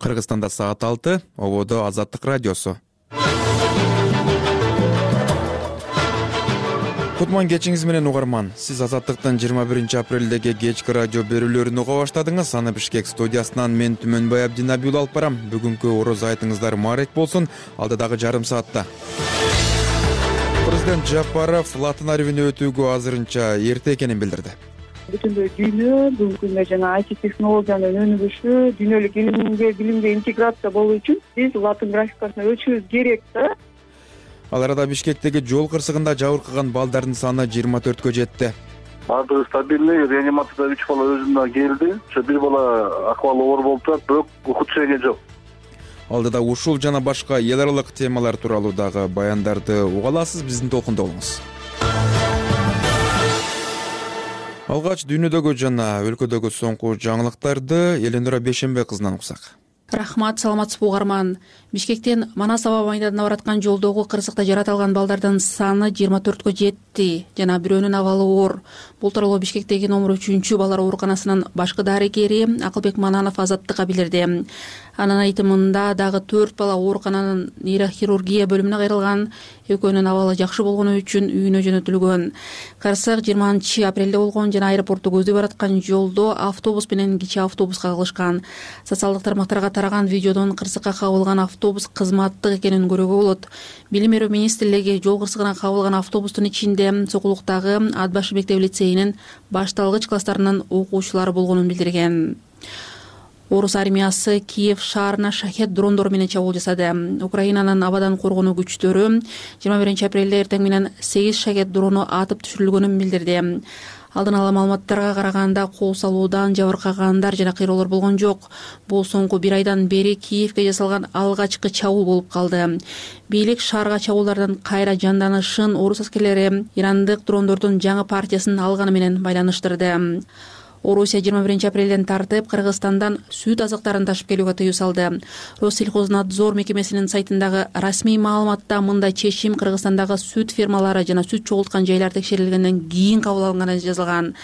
Кыргызстанда саат 6, ободо Азаттык радиосу. Кутман кечиңиз менен угарман. Сиз Азаттыктын 21 апрелдеги кечки радио берүүлөрүн уга баштадыңыз. Аны Бишкек студиясынан мен Түмөнбай Абдинабиул алып барам. Бүгүнкү ороз айтыңыздар маарек болсун. Алдыдагы жарым саатта Президент Жапаров Латын арбине өтүүгө азырынча эрте экенин билдирди. Бүтүндөй дүйнө бүгүнкү күндө жана IT технологиянын өнүгүшү, дүйнөлүк билимге интеграция болуу үчүн биз латын графикасына өтүшүбүз керек да. Ал арада Бишкектеги жол кырсыгында жабыркаган балдардын саны 24кө жетти. Баардыгы стабильный, реанимацияда 3 бала өзүнө келди. Ошо бир бала акыбалы оор болуп турат, бирок ухудшение жок. Алдыда ушул жана башка эл аралык темалар тууралуу дагы баяндарды уга аласыз, биздин толкунда болуңуз. Алгач дүйнөдөгү жана өлкөдөгү соңку жаңылыктарды Эленора Бейшембек кызынан уксак. Рахмат, саламатсызбы угарман. Бишкектен Манас аба майданына бараткан жолдогу кырсыкта жаратылган балдардын саны 24кө жетти жана бирөөнүн абалы оор. Бул тууралуу Бишкектеги номер 3 балдар ооруканасынын башкы дарыгери Акылбек Мананов Азаттыкка билдирди. Анын айтымында дагы 4 бала оорукананын нейрохирургия бөлүмүнө кайрылган, экөөнүн абалы жакшы болгону үчүн үйүнө жөнөтүлгөн. Кырсык 20 апрелде болгон жана аэропортту көздөй бараткан жолдо автобус менен кичи автобуска кагылышкан. Социалдык тармактарга тараган видеодон кырсыкка кабылган автобус кызматтык экенин көрүүгө болот. Билим берүү министрлиги жол кырсыгына кабылган автобустун ичинде Сокулуктагы Атбашы мектеп лицейинин башталгыч класстарынын окуучулары болгонун билдирген. Орус армиясы Киев шаарына шахет дрондор менен чабуул жасады. Украинанын абадан коргонуу күчтөрү 21 апрелде эртең менен 8 шахет дрону атып түшүрүлгөнүн билдирди. Алдын ала маалыматтарга караганда кол салуудан жабыркагандар жана кыйроолор болгон жок. Бул соңку бир айдан бери Киевке жасалган алгачкы чабуул болуп калды. Бийлик шаарга чабуулдардын кайра жанданышын орус аскерлери ирандык дрондордун жаңы партиясын алганы менен байланыштырды. Орусия 21 апрелден тартып Кыргызстандан сүт азыктарын ташып келүүгө тыюу салды. Россельхознадзор мекемесинин сайтындагы расмий маалыматта мындай чечим Кыргызстандагы сүт фермалары жана сүт чогулткан жайлар текшерилгенден кийин кабыл алынганы жазылган.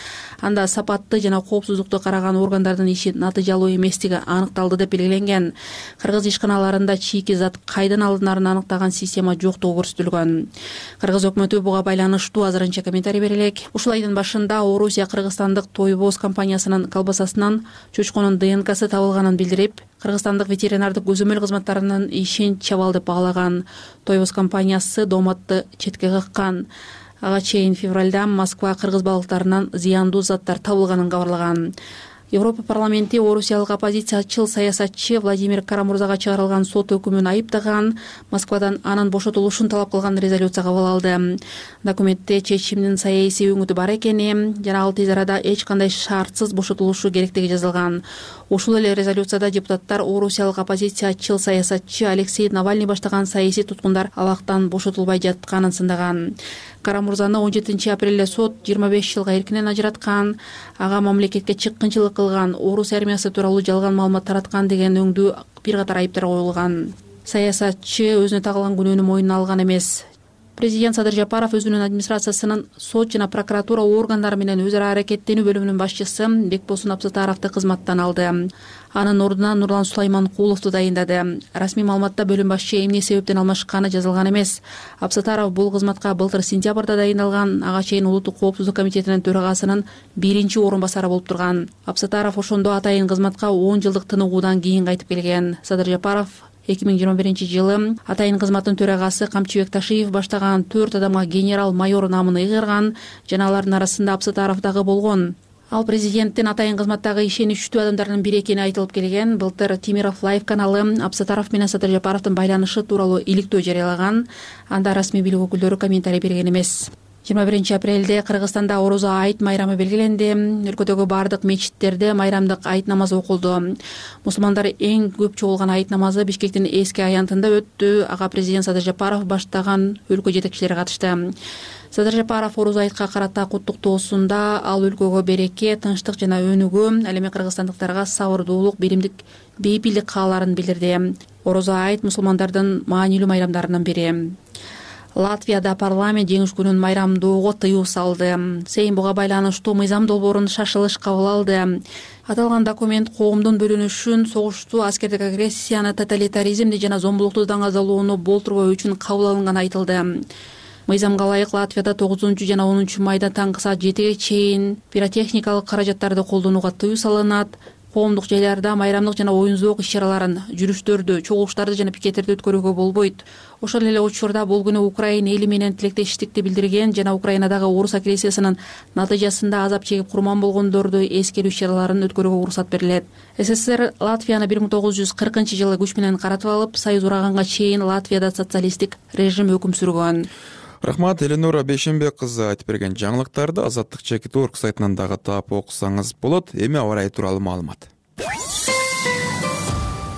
Анда сапатты жана коопсуздукту караган органдардын иши натыйжалуу эместиги аныкталды деп белгиленген. Кыргыз ишканаларында чийки зат кайдан алынарын аныктаган система жоктугу көрсөтүлгөн. Кыргыз өкмөтү буга байланыштуу азырынча комментарий бере элек. Ушул айдын башында Орусия кыргызстандык Тойбоз компаниясынын колбасасынан чочконун ДНКсы табылганын билдирип, кыргызстандык ветеринардык көзөмөл кызматтарынын ишин чабал деп багалаган. Тойбоз компаниясы дооматты четке кыккан. Ага чейин февралда Москва кыргыз балыктарынан зыяндуу заттар табылганын кабарлаган. Европа парламенти орусиялык оппозициячыл саясатчы Владимир Карамурзага чыгарылган сот өкүмүн айыптаган, Москвадан анын бошотулушун талап кылган резолюция кабыл алды. Документте чечимдин саясий өңүтү бар экени жана ал тез арада эч кандай шартсыз бошотулушу керектиги жазылган. Ушул эле резолюцияда депутаттар орусиялык оппозициячыл саясатчы Алексей Навальный баштаган саясий туткундар абактан бошотулбай жатканын сындаган. Карамурзаны 17 апрелде сот 25 жылга эркинен ажыраткан. Ага мамлекетке чыккынчылык кылган, орус армиясы тууралуу жалган маалымат тараткан деген өңдүү бир катар айыптар коюлган. Саясатчы өзүнө тагылган күнөөнү мойнуна алган эмес. Президент Садыр Жапаров өзүнүн администрациясынын сот жана прокуратура органдары менен өз ара аракеттенүү бөлүмүнүн башчысы Бекбосун Абсатаровду кызматтан алды. Анын ордуна Нурлан Сулайманкуловду дайындады. Расмий маалыматта бөлүм башчы эмне себептен алмашканы жазылган эмес. Абсатаров бул кызматка былтыр сентябрда дайындалган, ага чейин Улуттук коопсуздук комитетинин төрагасынын 1-орун басары болуп турган. Абсатаров ошондо атайын кызматка 10 жылдык тыныгуудан кийин кайтып келген. Садыр Жапаров 2021 жылы атайын кызматтын төрагасы Камчыбек Ташиев баштаган 4 адамга генерал-майор намын ыйгарган, жана алардын арасында Абсатаров дагы болгон. Ал президенттин атайын кызматтагы ишеничтүү адамдарынын бири экени айтылып келген. Былтыр Тимиров Лайв каналы Абсатаров менен Садыр Жапаровдун байланышы тууралуу иликтөө жарыялаган. Анда расмий бийлик өкүлдөрү комментарий берген эмес. 21 апрелде Кыргызстанда Орозо айт майрамы белгиленди. Өлкөдөгү бардык мечиттерде майрамдык айт намазы окулду. Мусулмандар эң көп чогулган айт намазы Бишкектин эски аянтында өттү. Ага президент Садыр Жапаров баштаган өлкө жетекчилери катышты. Садыр Жапаров Орозо айтка карата куттуктоосунда ал өлкөгө береке, тынчтык жана өнүгүү, ал эми кыргызстандыктарга сабырдуулук, биримдик, бейпилдик кааларын билдирди. Орозо айт мусулмандардын маанилүү майрамдарынын бири. Латвияда парламент жеңиш күнүн майрамдоого тыюу салды. Сейм буга байланыштуу мыйзам долбоорун шашылыш кабыл алды. Аталган документ коомдун бөлүнүшүн, согушту, аскердик агрессияны, тоталитаризмди жана зомбулукту даңазалоону болтурбоо үчүн кабыл алынганы айтылды. Мыйзамга ылайык Латвияда 9 жана 10 майда таңкы саат 7ге чейин пиротехникалык каражаттарды колдонууга тыюу салынат. Коомдук жайларда майрамдык жана оюн-зоок иш-чараларын, жүрүштөрдү, чогулуштарды жана пикеттерди өткөрүүгө болбойт. Ошол эле учурда бул күнү Украина эли менен тилектештикти билдирген жана Украинадагы орус агрессиясынын натыйжасында азап чегип курман болгондорду эскерүү иш-чараларын өткөрүүгө уруксат берилет. СССР Латвияны 1940-жылы күч менен каратып алып, союз ураганга чейин Латвияда социалисттик режим өкүм сүргөн. Рахмат, Эленора Бейшенбек кызы айтып берген жаңылыктарды Азаттык ЧКТ.орг сайтынан дагы таап окусаңыз болот. Эми аба ырайы тууралуу маалымат.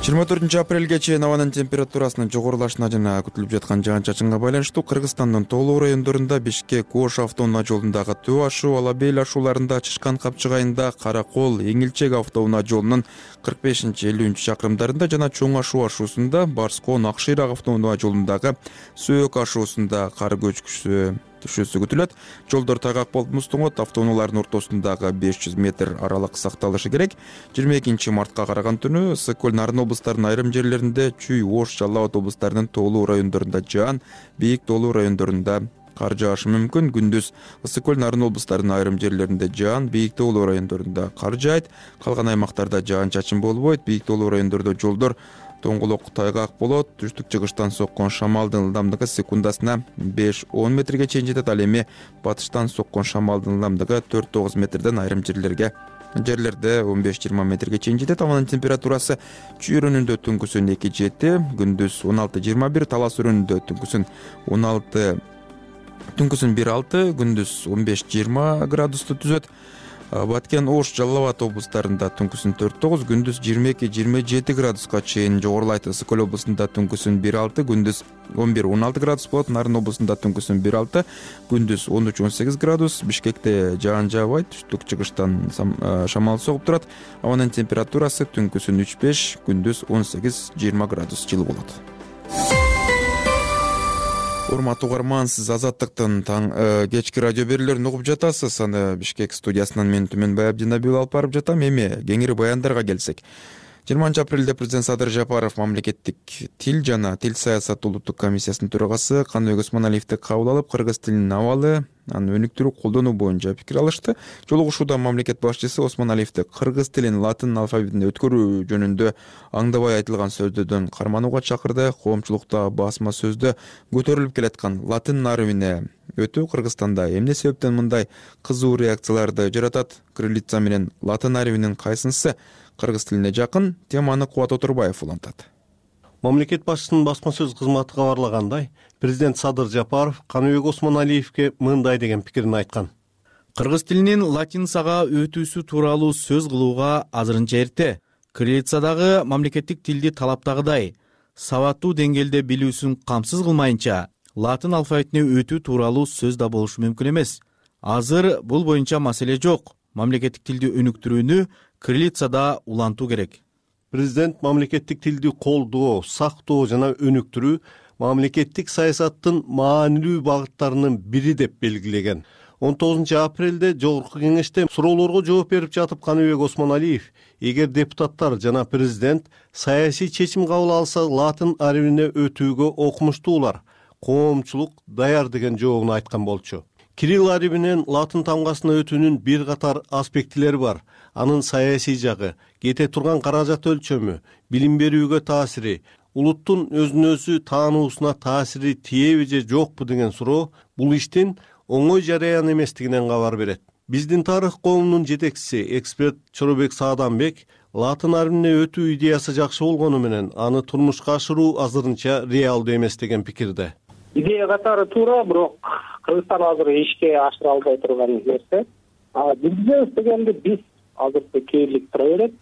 24 апрелге чейин абанын температурасынын жогорулашына жана күтүлүп жаткан жаан-чачынга байланыштуу Кыргызстандын тоолуу райондорунда Бишкек-Ош автоунаа жолундагы Төө ашуу, Алабел ашууларында, Чышкан Капчыгайында, Каракол, Эңилчек автоунаа жолунун 45-50 чакырымдарында жана Чоң ашуу ашуусунда, Барскон, Акшыйрак автоунаа жолундагы Сөөк ашуусунда кар көчкүсү түшүүсү күтүлөт. Жолдор тайгак болуп муздуңот, автоунаалардын ортосундагы 500 метр аралык сакталышы керек. 22 мартка караган түнү Ысык-Көл, Нарын облустарынын айрым жерлеринде, Чүй, Ош, Жалал Абад облустарынын тоолуу райондорунда жаан, бийик тоолуу райондорунда кар жаашы мүмкүн. Күндүз Ысык-Көл, Нарын облустарынын айрым жерлеринде жаан, бийик тоолуу райондорунда кар жаайт. Калган аймактарда жаан-чачын болбойт. Бийик тоолуу райондордо жолдор тоңголок тайгак болот. Түштүк-чыгыштан соккон шамалдын ылдамдыгы секундасына 5-10 метрге чейин жетет. Ал эми батыштан соккон шамалдын ылдамдыгы 4-9 метрден айрым жерлерде 15-20 метрге чейин жетет. Абанын температурасы Чүй өрөөнүндө түнкүсүн 2-7, күндүз 16-21, Талас өрөөнүндө түнкүсүн 1-6, күндүз 15-20 градусту түзөт. Баткен, Ош, Жалал Абад облустарында түнкүсүн 4-9, күндүз 22-27 градуска чейин жогорулайт. Ысык-Көл облусунда түнкүсүн 1-6, күндүз 11-16 градус болот. Нарын облусунда түнкүсүн 1-6, күндүз 13-18 градус. Бишкекте жаан жаабайт, түштүк-чыгыштан шамал согуп турат. Абанын температурасы түнкүсүн 3-5, күндүз 18-20 градус жылы болот. Урматтуу угарман, сиз Азаттыктын кечки радио берүүлөрүн угуп жатасыз. Аны Бишкек студиясынан мен Түмөнбай Абдинабиул алып барып жатам. Эми кеңири баяндарга келсек. 20 апрелде президент Садыр Жапаров мамлекеттик тил жана тил саясаты улуттук комиссиясынын төрагасы Каныбек Осмоналиевди кабыл алып, кыргыз тилинин абалы, аны өнүктүрүү, колдонуу боюнча пикир алышты. Жолугушууда мамлекет башчысы Осмоналиевди кыргыз тилин латын алфавитине өткөрүү жөнүндө аңдабай айтылган сөздөрдөн карманууга чакырды. Коомчулукта басма сөздө көтөрүлүп келаткан латын арабине өтүү Кыргызстанда эмне себептен мындай кызуу реакцияларды жаратат? Кириллица менен латын арабинин кайсынысы кыргыз тилине жакын? Теманы Кубат Отурбаев улантат. Мамлекет башчысынын басма сөз кызматы кабарлагандай, президент Садыр Жапаров Каныбек Осмоналиевге мындай деген пикирин айткан. Кыргыз тилинин латиницага өтүүсү тууралуу сөз кылууга азырынча эрте. Кириллицадагы мамлекеттик тилди талаптагыдай сабаттуу деңгээлде билүүсүн камсыз кылмайынча, латын алфавитине өтүү тууралуу сөз да болушу мүмкүн эмес. Азыр бул боюнча маселе жок. Мамлекеттик тилди өнүктүрүүнү кириллицада улантуу керек. Президент мамлекеттик тилди колдоо, сактоо жана өнүктүрүү мамлекеттик саясаттын маанилүү багыттарынын бири деп белгилеген. 19 апрелде Жогорку кеңеште суроолорго жооп берип жатып Каныбек Осмоналиев, эгер депутаттар жана президент саясий чечим кабыл алса латын арабине өтүүгө окумуштуулар, коомчулук даяр деген жообун айткан болчу. Кирилл арабинен латын тамгасына өтүүнүн бир катар аспектилери бар. Анын саясий жагы, кете турган каражат өлчөмү, билим берүүгө таасири, улуттун өзүн өзү таануусуна таасири тиеби же жокпу деген суроо бул иштин оңой жараян эместигинен кабар берет. Биздин тарых коомунун жетекчиси, эксперт Чоробек Сааданбек латын арабине өтүү идеясы жакшы болгону менен аны турмушка ашыруу азырынча реалдуу эмес деген пикирде. Идея катары туура, бирок Кыргызстан азыр ишке ашыра албай турган нерсе. Билбейбиз дегенде биз азыр кейирлик тура берет,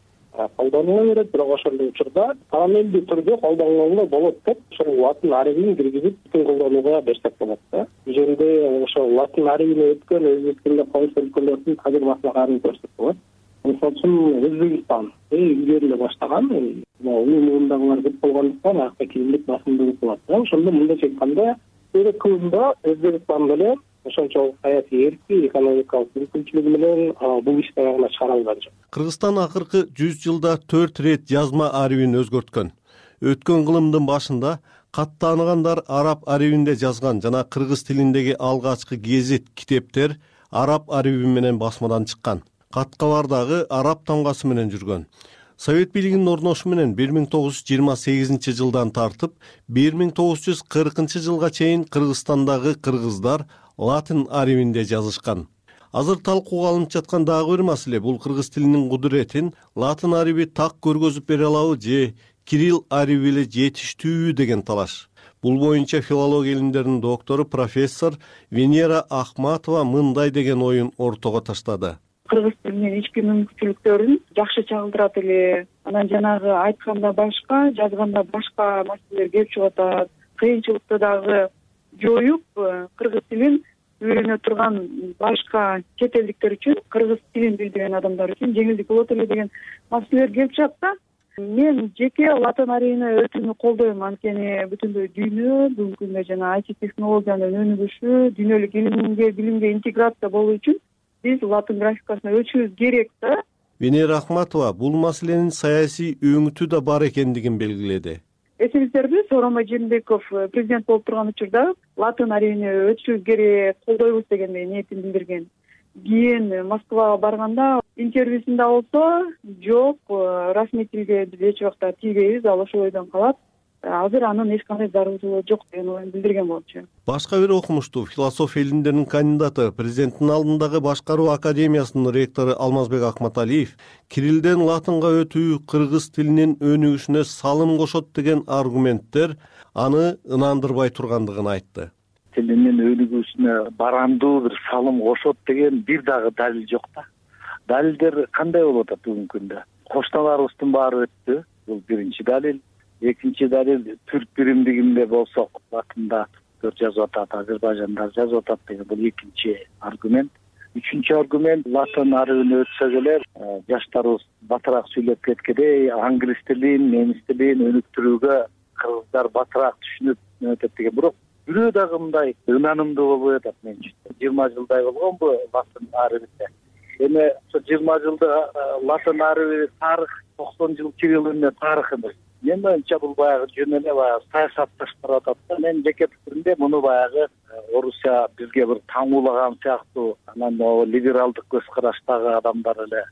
колдонула берет, бирок ошол учурда параллелдүү түрдө колдонула болот деп ошол латын арабинин киргизип колдонууга берсек болот да. Бул жерде ошол латын арабине өткөн өзбек тилинде коңшу өлкөлөрдүн тажрыйбасына көрсөтүп болот. Мисалы үчүн Өзбекстан илгери баштаган, улуу муундагылар көп болгондуктан акта кийинlik басымдуулук болот да. Ошондо мындайча айтканда Көбүндө Өзбекстан менен ошончолук саясий эрки, экономикалык мүмкүнчүлүгү менен бул ишти аягына чыгара алган жок. Кыргызстан акыркы 100 жылда 4 ирет жазма арибин өзгөрткөн. Өткөн кылымдын башында кат тааныгандар араб арибинде жазган жана кыргыз тилиндеги алгачкы гезит, китептер араб ариби менен басмадан чыккан. Каткалар дагы араб тамгасы менен жүргөн. Совет бийлигинин орношуу менен 1928 жылдан тартып 1940 жылга чейин Кыргызстандагы кыргыздар латын арибинде жазышкан. Азыр талкууга алынып жаткан дагы бир маселе бул кыргыз тилинин кудуретин латын ариби так көргөзүп бере алабы же кирилл ариби эле жетиштүүбү деген талаш. Бул боюнча филология илимдеринин доктору профессор Венера Ахматова мындай деген оюн ортого таштады. Кыргыз тилинин ички мүмкүнчүлүктөрүн жакшы чагылдырат эле. Анан жанагы айтканда башка, жазганда башка маселелер келип чыгып атат. Кыйынчылыкты дагы жоюп, кыргыз тилин үйрөнө турган башка чет элдиктер үчүн, кыргыз тилин билбеген адамдар үчүн жеңилдик болот эле деген маселелер келип чыгат да. Мен жеке латын арибини өтүүнү колдойм, анткени бүтүндөй дүйнө бүгүнкү күндө жана IT технологиянын өнүгүшү, дүйнөлүк билимге интеграция болуу үчүн биз латын графикасына өтүшүбүз керек да. Венера Ахматова бул маселенин саясий өңүтү да бар экендигин белгиледи. Эсиңиздерби, Сооронбай Жээнбеков президент болуп турган учурда латын арибини өтүшүбүз керек, колдойбуз дегендей ниетин билдирген. Кийин Москвага барганда интервьюсунда болсо, жок, расмий тилге биз эч убакта тийбейбиз, ал ошол ойдон калат. Азыр анын эч кандай зарылчылыгы жок деген оюн билдирген болчу. Башка бир окумуштуу философия илимдеринин кандидаты, президенттин алдындагы башкаруу академиясынын ректору Алмазбек Акматалиев кириллден латынга өтүү кыргыз тилинин өнүгүшүнө салым кошот деген аргументтер аны ынандырбай тургандыгын айтты. Тилинин өнүгүүсүнө барандуу бир салым кошот деген бир дагы далил жок да. Далилдер кандай болуп атат бүгүнкү күндө? Кошталарыбыздын баары өттү. Бул биринчи далил. Экинчи далил, түрк биримдигинде болсок, латында жазып атат, Азербайжанда жазып атат деген бул экинчи аргумент. Үчүнчү аргумент, латын арибин өтсөк эле жаштарыбыз батыраак сүйлөп кеткендей, англис тилин, немис тилин өнүктүрүүгө кыргыздар батыраак түшүнүп өтөт деген. Бирок бирөө дагы мындай ынанымдуу болбой атат менчи. 20 жылдай болгон бу латын арибинде. Эми ошо 20 жылда латын ариби тарых, 90 жыл кирилл эмне тарых эмес. Мен боюнча бул баягы жөн эле баягы саясатташтырып атат да. Мен жеке пикиримде муну баягы Орусия бизге бир таңуулаган сыяктуу, анан либералдык көз караштагы адамдар эле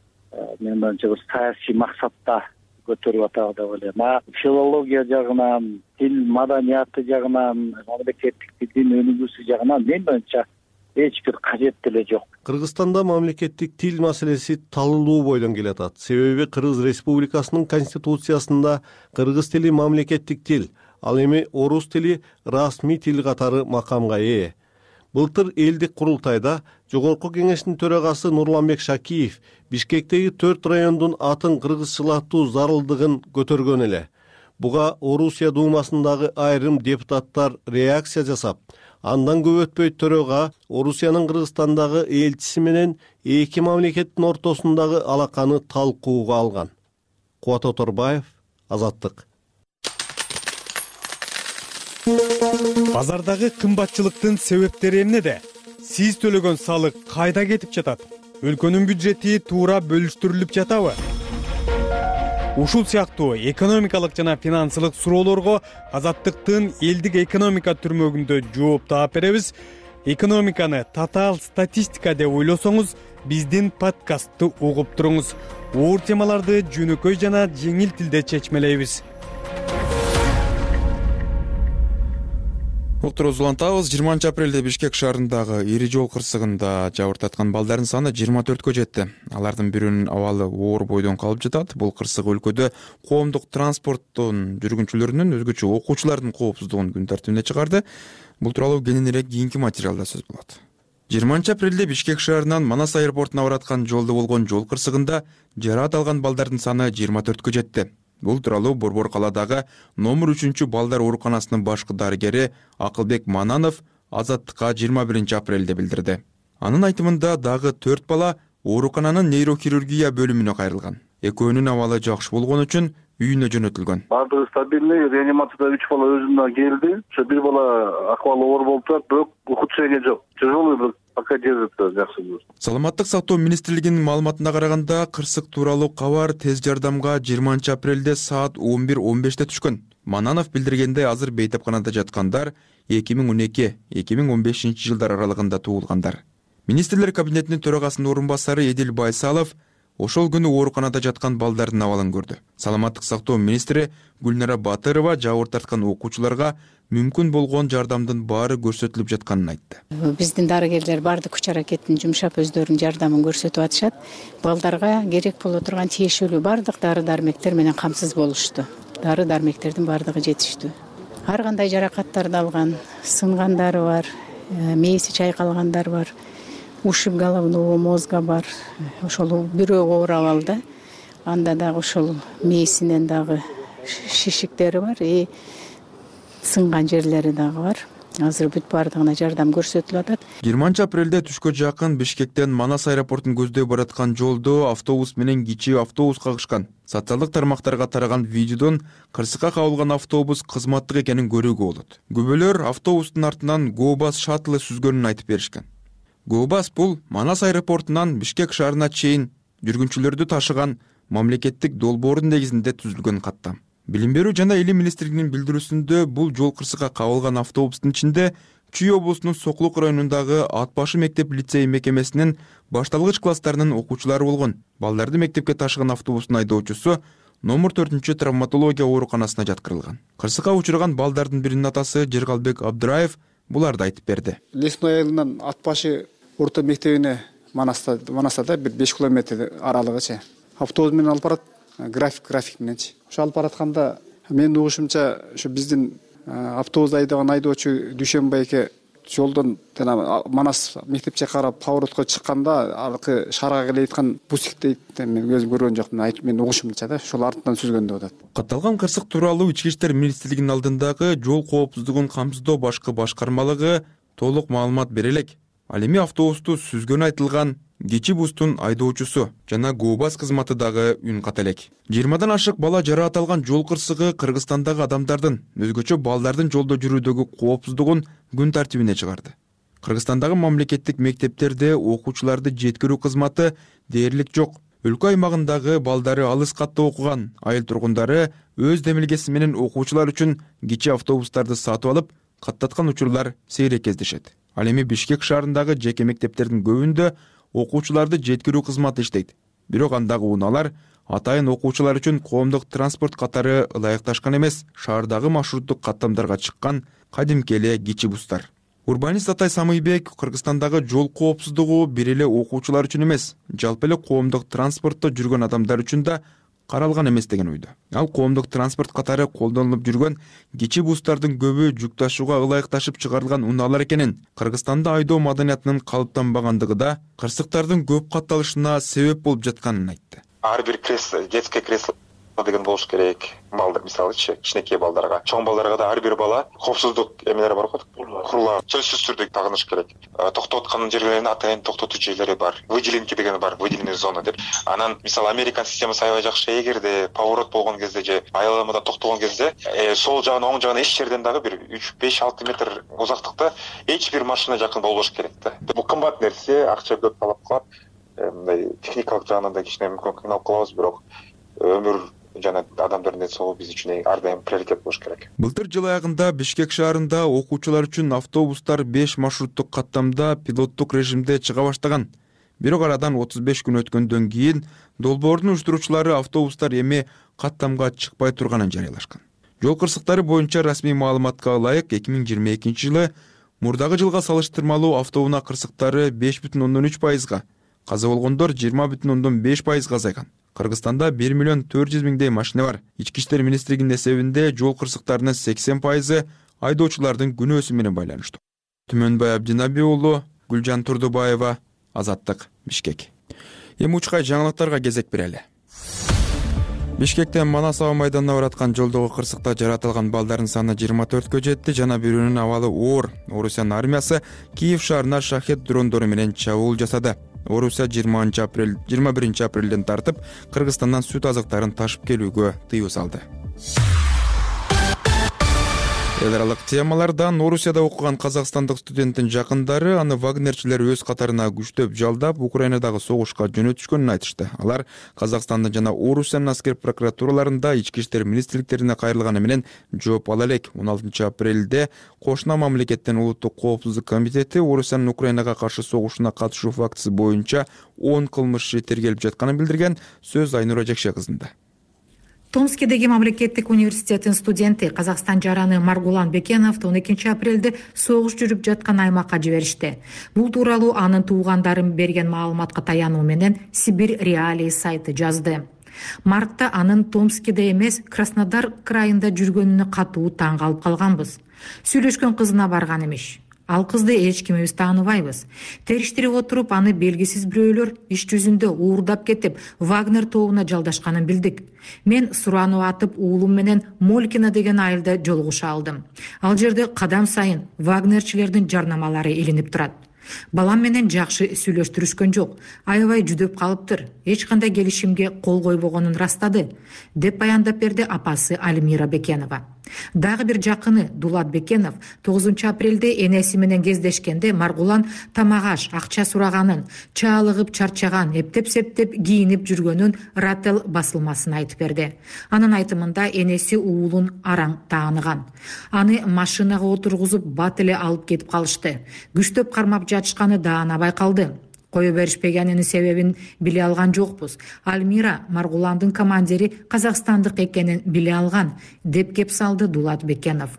мен боюнча бир саясий максатта көтөрүп атат деп ойлойм. Филология жагынан, тил маданияты жагынан, мамлекеттик тилдин өнүгүүсү жагынан мен боюнча эч бир кажет деле жок. Кыргызстанда мамлекеттик тил маселеси талылуу бойдон келатат. Себеби Кыргыз Республикасынын конституциясында кыргыз тили мамлекеттик тил, ал эми орус тили расмий тил катары макамга ээ. Былтыр элдик курултайда Жогорку кеңештин төрагасы Нурланбек Шакиев Бишкектеги 4 райондун атын кыргызчалатуу зарылдыгын көтөргөн эле. Буга Орусия Думасындагы айрым депутаттар реакция жасап, андан көп өтпөй төрага Орусиянын Кыргызстандагы элчиси менен эки мамлекеттин ортосундагы алаканы талкууга алган. Кубат Оторбаев, Азаттык. Базардагы кымбатчылыктын себептери эмнеде? Сиз төлөгөн салык кайда кетип жатат? Өлкөнүн бюджети туура бөлүштүрүлүп жатабы? Ушул сыяктуу экономикалык жана финансылык суроолорго Азаттыктын элдик экономика түрмөгүндө жооп таап беребиз. Экономиканы татаал статистика деп ойлосоңуз, биздин подкастты угуп туруңуз. Оор темаларды жөнөкөй жана жеңил тилде чечмелейбиз. Уктурубузду улантабыз. 20 апрелде Бишкек шаарындагы ири жол кырсыгында жабыртаткан балдардын саны 24кө жетти. Алардын бирөөнүн абалы оор бойдон калып жатат. Бул кырсык өлкөдө коомдук транспорттун жүргүнчүлөрүнүн, өзгөчө окуучулардын коопсуздугун күн тартибине чыгарды. Бул тууралуу кененирээк кийинки материалда сөз болот. 20 апрелде Бишкек шаарынан Манас аэропортуна бараткан жолдо болгон жол кырсыгында жараат алган балдардын саны 24кө жетти. Бул тууралуу Борбор калаадагы номер 3 балдар ооруканасынын башкы дарыгери Акылбек Мананов Азаттыкка 21 апрелде билдирди. Анын айтымында дагы 4 бала оорукананын нейрохирургия бөлүмүнө кайрылган. Экөөнүн абалы жакшы болгон үчүн үйүнө жөнөтүлгөн. Баардыгы стабильный, реанимацияда 3 бала өзүнө келди. Ошо бир бала акыбалы оор болуп турат, бирок ухудшение жок. Тяжелый, бирок пока держится, жакшы. Саламаттык сактоо министрлигинин маалыматына караганда, кырсык тууралуу кабар тез жардамга 20 апрелде саат 11:15 түшкөн. Мананов билдиргендей, азыр бейтапканада жаткандар 2012-2015 жылдар аралыгында туулгандар. Министрлер кабинетинин төрагасынын орун басары Эдил Байсалов ошол күнү ооруканада жаткан балдардын абалын көрдү. Саламаттык сактоо министри Гүлнара Батырова жабыр тарткан окуучуларга мүмкүн болгон жардамдын баары көрсөтүлүп жатканын айтты. Биздин дарыгерлер баардык күч аракетин жумшап өздөрүнүн жардамын көрсөтүп атышат. Балдарга керек боло турган тиешелүү баардык дары-дармектер менен камсыз болушту. Дары-дармектердин баардыгы жетиштүү. Ар кандай жаракаттарды алган, сынгандары бар, мээси чайкалгандар бар, ушиб головного мозга бар. Ошол бирөө оор абалда. Анда дагы ошол мээсинен дагы шишиктери бар, сынган жерлери дагы бар. Азыр бүт баардыгына жардам көрсөтүлүп атат. 20 апрелде түшкө жакын Бишкектен Манас аэропортун көздөй бараткан жолдо автобус менен кичи автобус кагышкан. Социалдык тармактарга тараган видеодон кырсыкка кабылган автобус кызматтык экенин көрүүгө болот. Күбөлөр автобустун артынан Go-Bus шаттлы сүзгөнүн айтып беришкен. Go-Bus бул Манас аэропортунан Бишкек шаарына чейин жүргүнчүлөрдү ташыган мамлекеттик долбоордун негизинде түзүлгөн каттам. Билим берүү жана илим министрлигинин билдирүүсүндө бул жол кырсыкка кабылган автобустун ичинде Чүй облусунун Соклук районундагы Ат башы мектеп лицей мекемесинин башталгыч класстарынын окуучулары болгон. Балдарды мектепке ташыган автобустун айдоочусу номер 4 травматология ооруканасына жаткырылган. Кырсыкка учурган балдардын биринин атасы Жергалбек Абдыраев буларды айтып берди. Лесной айылынан Ат башы орто мектебине Манастада бир 5 километр аралыгычы. Автобус менен алып барат, график мененчи. Ошо алып баратканда менин угушумча ошо биздин автобус айдаган айдоочу Дүйшөнбай эке жолдон Манас мектепче карап поворотко чыкканда аркы шаарга келе жаткан бусикти мен өзүм көргөн жокмун, айтып мен угушумча да ошол артынан сүзгөн деп атат. Катталган кырсык тууралуу Ички иштер министрлигинин алдындагы жол коопсуздугун камсыздоо башкы башкармалыгы толук маалымат бере элек. Ал эми автобусту сүзгөнү айтылган кичи бустун айдоочусу жана Go-Bus кызматы дагы үн ката элек. 20дан ашык бала жараат алган жол кырсыгы Кыргызстандагы адамдардын, өзгөчө балдардын жолдо жүрүүдөгү коопсуздугун күн тартибине чыгарды. Кыргызстандагы мамлекеттик мектептерде окуучуларды жеткирүү кызматы дээрлик жок. Өлкө аймагындагы балдары алыс катта окуган айыл тургундары өз демилгеси менен окуучулар үчүн кичи автобустарды сатып алып, каттаткан учурлар сейрек кездешет. Ал эми Бишкек шаарындагы жеке мектептердин көбүндө окуучуларды жеткирүү кызматы иштейт. Бирок андагы унаалар атайын окуучулар үчүн коомдук транспорт катары ылайыкташкан эмес, шаардагы маршруттук каттамдарга чыккан кадимки эле кичи бустар. Урбанист Атай Самыйбек Кыргызстандагы жол коопсуздугу бир эле окуучулар үчүн эмес, жалпы эле коомдук транспортто жүргөн адамдар үчүн да каралган эмес деген ойдо. Ал коомдук транспорт катары колдонулуп жүргөн кичи бустардын көбү жүк ташууга ылайыкташып чыгарылган унаалар экенин, Кыргызстанда айдоо маданиятынын калыптанбагандыгы да кырсыктардын көп катталышына себеп болуп жатканын айтты. Ар бир кресло, детское кресло деген болуш керек. Балдар, мисалычы, кичинекей балдарга, чоң балдарга да ар бир бала коопсуздук эмелери бар го, курулар, сөзсүз түрдө тагыныш керек. Токтоп аткан жерлеринде атайын токтотуу жерлери бар. Выделенки деген бар, выделенная зона деп. Анан мисалы Американ системасы аябай жакшы, эгерде поворот болгон кезде же айламада токтогон кезде, сол жагына, оң жагына эч жерден дагы бир 3-5-6 метр узактыкта эч бир машина жакын болбош керек да. Бул кымбат нерсе, акча көп талап кылат. Мындай техникалык жагынан да кичине мүмкүн кыйналып калабыз, бирок өмүр жана адамдардын ден соолугу биз үчүн ар дайым приоритет болуш керек. Былтыр жыл аягында Бишкек шаарында окуучулар үчүн автобустар 5 маршруттук каттамда пилоттук режимде чыга баштаган. Бирок арадан 35 күн өткөндөн кийин долбоордун уюштуруучулары автобустар эми каттамга чыкпай турганын жарыялашкан. Жол кырсыктары боюнча расмий маалыматка ылайык 2022 жылы мурдагы жылга салыштырмалуу автоунаа кырсыктары 5,3%, каза болгондор 20,5% азайган. Кыргызстанда 1,400,000 машина бар. Ички иштер министрлигинин эсебинде жол кырсыктарынын 80% айдоочулардын күнөөсү менен байланыштуу. Түмөнбай Абдинаби уулу, Гүлжан Турдубаева, Азаттык, Бишкек. Эми учкай жаңылыктарга кезек берели. Бишкектен Манас аба майданына бараткан жолдогу кырсыкта жараат алган балдардын саны 24кө жетти жана бирөөнүн абалы оор. Орусиянын армиясы Киев шаарына шахет дрондору менен чабуул жасады. Орусия 21 апрелден тартып Кыргызстандан сүт азыктарын ташып келүүгө тыюу салды. Эл аралык темалардан Орусияда окуган казакстандык студенттин жакындары аны вагнерчилер өз катарына күчтөп жалдап Украинадагы согушка жөнөтүшкөнүн айтышты. Алар Казакстандын жана Орусиянын аскер прокуратураларында ички иштер министрликтерине кайрылганы менен жооп ала элек. 16 апрелде кошуна мамлекеттин улуттук коопсуздук комитети Орусиянын Украинага каршы согушуна катышуу фактысы боюнча 10 кылмыш иши тергелип жатканын билдирген. Сөз Айнура Жекше кызында. Томскидеги мамлекеттик университеттин студенти Казакстан жараны Маргулан Бекеновду 12 апрелде согуш жүрүп жаткан аймакка жиберишти. Бул тууралуу анын туугандары берген маалыматка таянуу менен Сибирь Реалии сайты жазды. Мартта анын Томскиде эмес, Краснодар крайында жүргөнүнө катуу таң калып калганбыз. Сүйлөшкөн кызына барган эмиш. Ал кызды эч кимибиз тааныбайбыз. Териштирип отуруп, аны белгисиз бирөөлөр иш жүзүндө уурдап кетип, Вагнер тобуна жалдашканын билдик. Мен суранып атып, уулум менен Молькина деген айылда жолугуша алдым. Ал жерде кадам сайын вагнерчилердин жарнамалары илинип турат. Балам менен жакшы сүйлөштүрүшкөн жок. Аябай жүдөп калыптыр. Эч кандай келишимге кол койбогонун ырастады, деп баяндап берди апасы Альмира Бекенова. Дагы бир жакыны Дулат Бекенов 9 апрелде энеси менен кездешкенде Маргулан тамак аш, акча сураганын, чаалыгып чарчаган, эптеп-септеп кийинип жүргөнүн Раттел басылмасына айтып берди. Анын айтымында энеси уулун араң тааныган. Аны машинага отургузуп бат эле алып кетип калышты. Күчтөп кармап жатышканы даана байкалды. Кое беришпегенинин себебин биле алган жокпуз. Альмира Маргуландын командири казакстандык экенин биле алган, деп кеп салды Дулат Бекенов.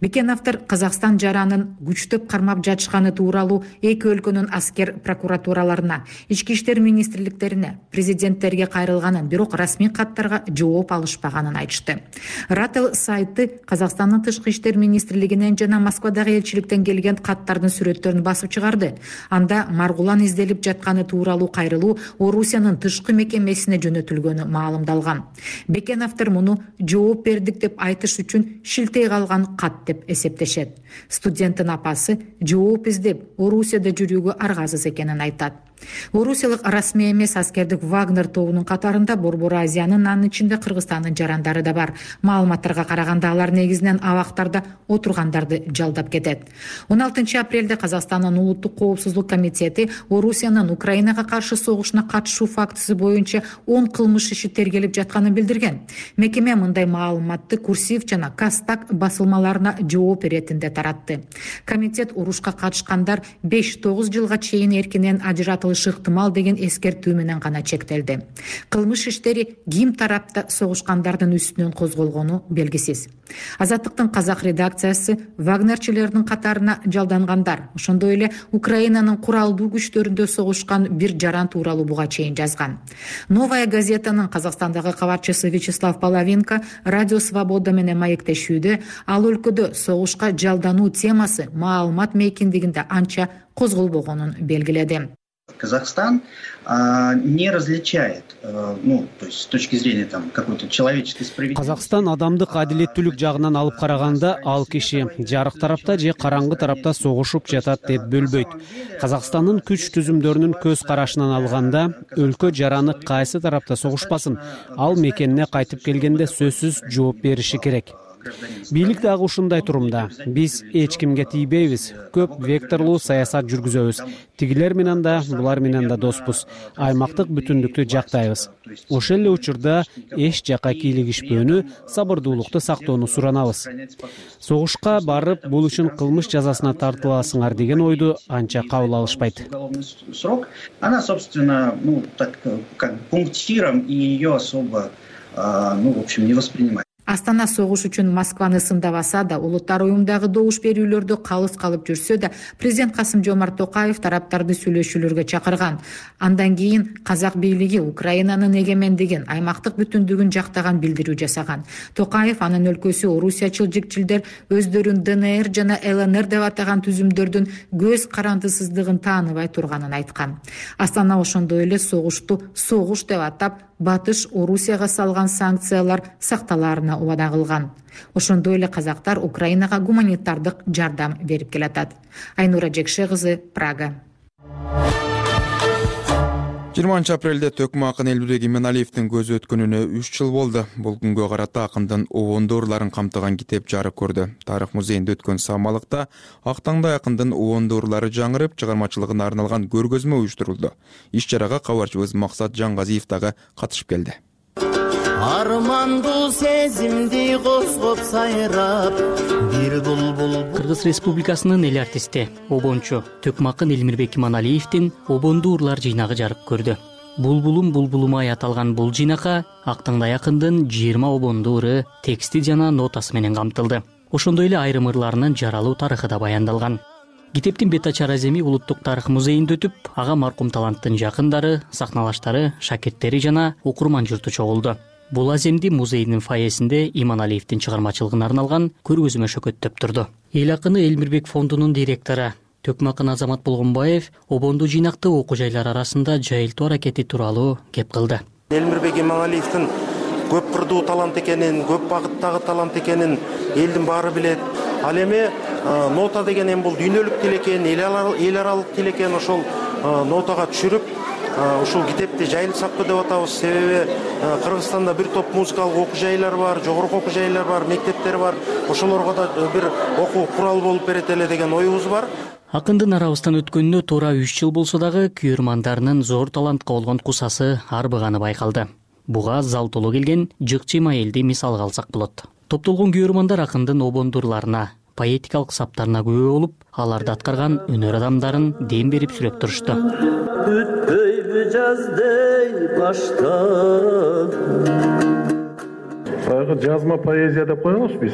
Бекеновдор Казакстан жаранын күчтөп кармап жатышканы тууралуу эки өлкөнүн аскер прокуратураларына, ички иштер министрликтерине, президенттерге кайрылганын, бирок расмий каттарга жооп алышпаганын айтышты. Раттел сайты Казакстандын тышкы иштер министрлигинен жана Москвадагы элчиликтен келген каттардын сүрөттөрүн басып чыгарды. Анда Маргулан изделип жатканы тууралуу кайрылуу Орусиянын тышкы мекемесине жөнөтүлгөнү маалымдалган. Бекеновдор муну жооп бердик деп айтыш үчүн шилтей калган кат деп эсептешет. Студенттин апасы жооп издеп Орусияда жүрүүгө аргасыз экенин айтат. Орусиялык расмий эмес аскердик Вагнер тобунун катарында Борбор Азиянын, анын ичинде Кыргызстандын жарандары да бар. Маалыматтарга караганда алар негизинен абактарда отургандарды жалдап кетет. 16 апрелде Казакстандын улуттук коопсуздук комитети Орусиянын Украинага каршы согушуна катышуу фактысы боюнча 10 кылмыш иши тергелип жатканын билдирген. Мекеме мындай маалыматты Курсив жана Кастак басылмаларына жооп иретинде таратты. Комитет урушка катышкандар 5-9 жылга чейин эркинен ажыратылышы ыктымал деген эскертүү менен гана чектелди. Кылмыш иштери ким тарапта согушкандардын үстүнөн козголгону белгисиз. Азаттыктын казак редакциясы вагнерчилердин катарына жалдангандар, ошондой эле Украинанын куралдуу күчтөрүндө согушкан бир жаран тууралуу буга чейин жазган. Новая газетанын Казакстандагы кабарчысы Вячеслав Половинка Радио Свобода менен маектешүүдө ал өлкөдө согушка жалдануу темасы маалымат мейкиндигинде анча козголбогонун белгиледи. Казахстан не различает, то есть с точки зрения какой-то человеческой справедливости. Казакстан адамдык адилеттүүлүк жагынан алып караганда ал киши жарык тарапта же караңгы тарапта согушуп жатат деп бөлбөйт. Казакстандын күч түзүмдөрүнүн көз карашынан алганда өлкө жараны кайсы тарапта согушпасын, ал мекенине кайтып келгенде сөзсүз жооп бериши керек. Бийлик дагы ушундай турумда. Биз эч кимге тийбейбиз. Көп векторлуу саясат жүргүзөбүз. Тигилер менен да, булар менен да доспуз. Аймактык бүтүндүктү жактайбыз. Ошол эле учурда эч жакка кийлигишпөөнү, сабырдуулукту сактоону суранабыз. Согушка барып, бул үчүн кылмыш жазасына тартыласыңар деген ойду анча кабыл алышпайт. Она, собственно, как пунктиром, и ее особо, в общем, не воспринимает. Астана согуш үчүн Москваны сындабаса да, улуттар уюмдагы добуш берүүлөрдө калыс калып жүрсө да, президент Касым-Жомарт Токаев тараптарды сүйлөшүүлөргө чакырган. Андан кийин казак бийлиги Украинанын эгемендигин, аймактык бүтүндүгүн жактаган билдирүү жасаган. Токаев анын өлкөсү орусиячыл жикчилдер өздөрүн ДНР жана ЛНР деп атаган түзүмдөрдүн көз карандысыздыгын тааныбай турганын айткан. Астана ошондой эле согушту согуш деп атап, батыш Орусияга салган санкциялар сакталаарына убада кылган. Ошондой эле казактар Украинага гуманитардык жардам берип келатат. Айнура Жекше кызы, Прага. 20 апрелде төкмө акын Элмирбек Иманалиевдин көзү өткөнүнө 3 жыл болду. Бул күнгө карата акындын убондуурларын камтыган китеп жарык көрдү. Тарых музейинде өткөн самалыкта ак таңда акындын убондуурлары жаңырып, чыгармачылыгына арналган көргөзмө уюштурулду. Иш чарага кабарчыбыз Максат Жаңгазиев дагы катышып келди. Армандуу сезимди козгоп сайрап бир булбул. Кыргыз Республикасынын эл артисти, обончу төкмө акын Элмирбек Иманалиевдин обондуурлар жыйнагы жарык көрдү. Булбулум булбулумай аталган бул жыйнакка ак таңдай акындын 20 обондууру тексти жана нотасы менен камтылды. Ошондой эле айрым ырларынын жаралуу тарыхы да баяндалган. Китептин бет ачар аземи Улуттук тарых музейинде өтүп, ага маркум таланттын жакындары, сахналаштары, шакирттери жана окурман журту чогулду. Бул аземди музейдин фойесинде Иманалиевдин чыгармачылыгына арналган көргөзмө шөкөттөп турду. Эл акыны Элмирбек фондунун директору төкмө акын Азамат Болгонбаев обондуу жыйнакты окуу жайлар арасында жайылтуу аракети тууралуу кеп кылды. Элмирбек Иманалиевдин көп кырдуу талант экенин, көп багыттагы талант экенин элдин баары билет. Ал эми нота деген эми бул дүйнөлүк тил экен, эл аралык тил экен. Ошол нотага түшүрүп ушул китепти жайылып сактоо деп атабыз. Себеби Кыргызстанда бир топ музыкалык окуу жайлар бар, жогорку окуу жайлар бар, мектептер бар. Ошолорго да бир окуу курал болуп берет эле деген оюбуз бар. Акындын арабыздан өткөнүнө туура 3 жыл болсо дагы күйөрмандарынын зор талантка болгон кусасы арбыганы байкалды. Буга зал толо келген жыкчыйма элди мисалга алсак болот. Топтолгон күйөрмандар акындын обондуурларына, поэтикалык саптарына күбө болуп, аларды аткарган өнөр адамдарын дем берип сүрөп турушту. Бүтпөйбү жаздей баштап. Баягы жазма поэзия деп коебуз биз.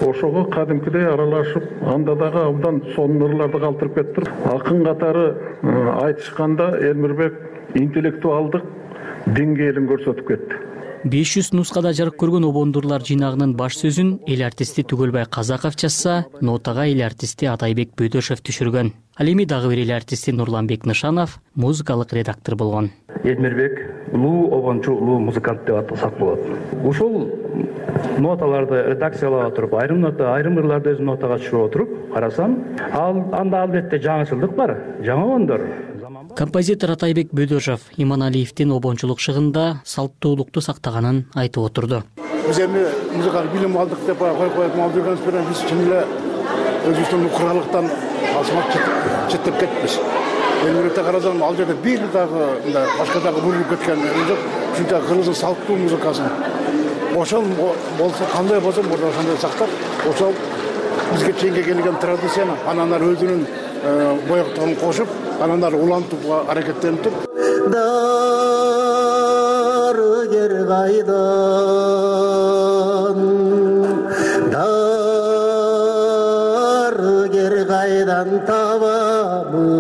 Ошого кадимкидей аралашып, анда дагы абдан сонун ырларды калтырып кетип, акын катары айтышканда Элмирбек интеллектуалдык деңгээлин көрсөтүп кетти. 500 нускада жарык көргөн обондурлар жыйнагынын баш сөзүн эл артисти Түгөлбай Казаков жазса, нотага эл артисти Атайбек Бөдөшев түшүргөн. Ал эми дагы бир эл артисти Нурланбек Нышанов музыкалык редактор болгон. Элмирбек улуу обончу, улуу музыкант деп атасак болот. Ушул ноталарды редакциялап отуруп, айрым ырларды өзүнүн нотага түшүрүп отуруп карасам, анда албетте жаңычылдык бар, жаңы обондор. Композитор Атайбек Бөдөшев Иманалиевдин обончулук шыгында салттуулукту сактаганын айтып отурду. Биз эми музыкалык билим алдык деп коюп алып жүргөнүбүз менен биз чын эле өзүбүздүн куралыктан алсымак четтеп кетпиз. Элмирбекте карасам, ал жерде бир дагы башка дагы бурулуп кеткен жок. Ушунча Кыргыздын салттуу музыкасын ошол болсо кандай болсо ошондой сактап, ошол бизге чейинге келген традицияны анан ары өзүнүн боектугун кошуп, анан ары улантууга аракеттенип. Дарыгер кайдан, дарыгер кайдан табамын.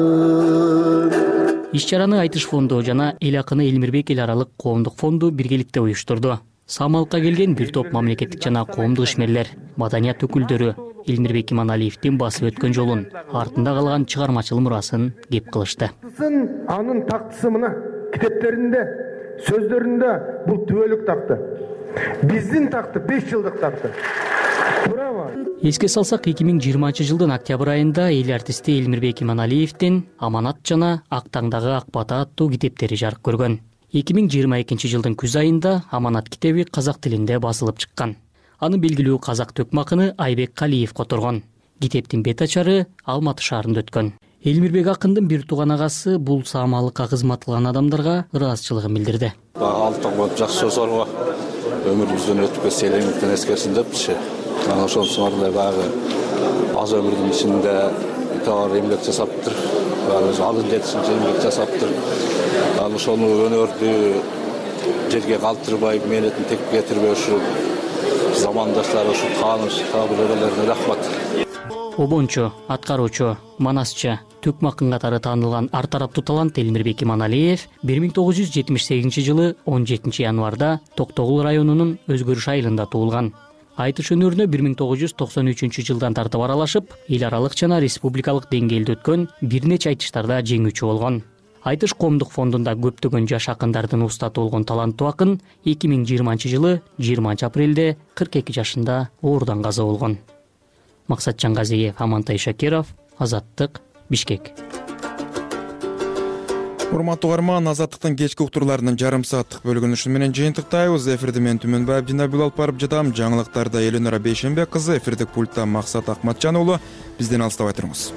Иш чараны Айтыш фонду жана эл акыны Элмирбек эл аралык коомдук фонду биргеликте уюштурду. Самалыкка келген бир топ мамлекеттик жана коомдук ишмерлер, маданият өкүлдөрү Элмирбек Иманалиевдин басып өткөн жолун, артында калган чыгармачыл мурасын кеп кылышты. Анын тактысы мына китептеринде, сөздөрүндө бул түбөлүк такты. Биздин такты 5 жылдык такты. Эске салсак, 2020 жылдын октябрь айында эл артисти Элмирбек Иманалиевдин Аманат жана Ак таңдагы ак бата аттуу китептери жарык көргөн. 2022 жылдын күз айында Аманат китеби казак тилинде басылып чыккан. Аны белгилүү казак төкмө акыны Айбек Калиев которгон. Китептин бет ачары Алматы шаарында өткөн. Элмирбек акындын бир тууган агасы бул саамалыкка кызмат кылган адамдарга ыраазычылыгын билдирди. Алтын жакшы сөз барго өмүрүбүздөн өтүп кетсе элеңиктен эскерсин депчи. Анан ошонусун эле баягы аз өмүрдүн ичинде тоор эмгек жасаптыр. Өзү алын жетишинче эмгек жасаптыр. Ал ошону өнөрдү жерге калтырбай, мээнетин текке кетирбей ушул замандаштар, ушул тааныш табылгандардын рахмат. Обончу, аткаруучу, манасчы, төкмө акын катары таанылган ар тараптуу талант Элмирбек Иманалиев 1978 жылы 17 январда Токтогул районунун Өзгөрүш айылында туулган. Айтыш өнөрүнө 1993 жылдан тартып аралашып, эл аралык жана республикалык деңгээлде өткөн бир нече айтыштарда жеңүүчү болгон. Айтыш коомдук фондунда көптөгөн жаш акындардын устаты болгон таланттуу акын 2020 жылы 20 апрелде 42 жашында оорудан каза болгон. Максат Жаңгазиев, Амантай Шакиров, Азаттык, Бишкек. урматтуу угарман, Азаттыктын кечки уктурларынын жарым сааттык бөлүгүн ушун менен жыйынтыктайбыз. Эфирде мен Түмөнбаев Динабил алып барып жатам. Жаңылыктарда Эленора Бейшенбек кызы, эфирдик пультта Максат Акматжан уулу. Бизден алыстабай туруңуз.